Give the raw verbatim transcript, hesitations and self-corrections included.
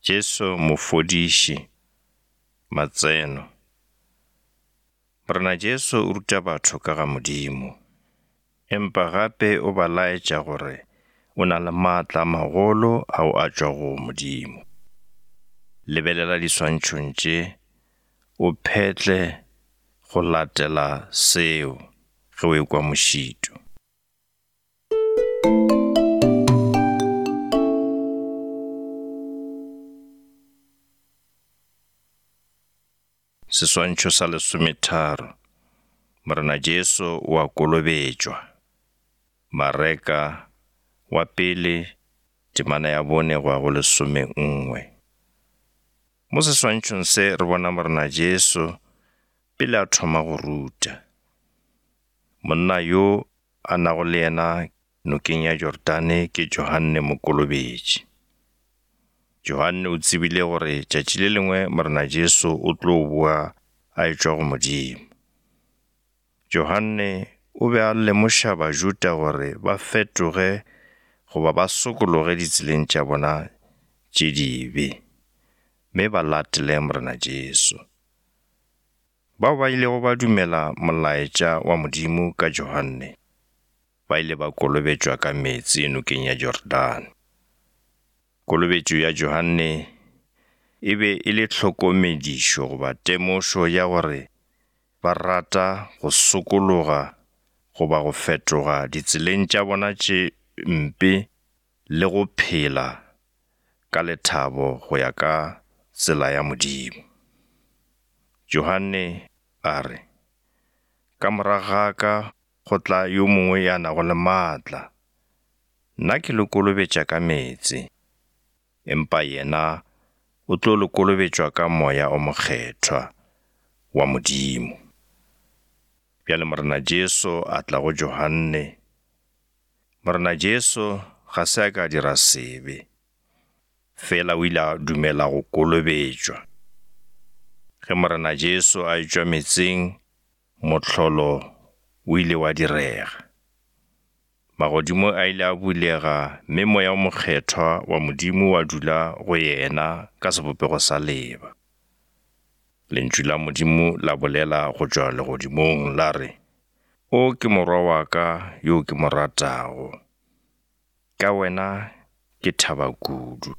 Jesu Mofodiši, Matseno. Morena Jesu o ruta batho ka ga Modimo, empa gape o ba laetša gore o na le maatla a magolo ao a tšwago go Modimo. Lebelela diswantšhong tše, o phetle go latela seo ge o ekwa mošito. Seswantšho sa lesometharo, Morena Jesu o a kolobetšwa. Mareka wa pele, temana ya bone go ya go lesomenngwe. Mo seswantšhong se re bona Morena Jesu pele a thoma go ruta. Monna yo a nago le yena nokeng ya Jordane ke Johanne Mokolobetši. Johanne o tsebile gore tšatši le lengwe Morena Jesu o tlo boa a etšwa go Modimo. Johanne o be a lemoša Bajuda gore ba fetoge goba ba sokologe ditseleng tša bona tše dibe, mme ba latele Morena Jesu. Bao ba ilego ba dumela molaetša wa Modimo ka Johanne, ba ile ba kolobetšwa ka meetse nokeng ya Jordane. Kolobetšo ya Johanne e be e le tlhokomedišo goba temošo ya gore ba rata go sokologa goba go fetoga ditseleng tša bona tše mpe le go phela ka lethabo go ya ka tsela ya Modimo. Johanne a re, ka morago ga ka go tla yo mongwe ya nago le maatla, nna ke le kolobetša ka meetse, empa yena o tlo le kolobetšwa ka Moya o Mokgethwa wa Modimo. Bjale Morena Jesu a tla go Johanne. Morena Jesu ga se a ka a dira sebe, fela o ile a dumela go kolobetšwa. Ge Morena Jesu a etšwa meetseng, mohlolo o ile wa direga. Magodimo a ile a bulega mme Moya o Mokgethwa wa Modimo wa dula go yena ka sebopego sa leeba. Lentšu la Modimo la bolela go tšwa legodimong la re, O ke morwa wa ka yo ke mo ratago, ka wena ke thaba kudu.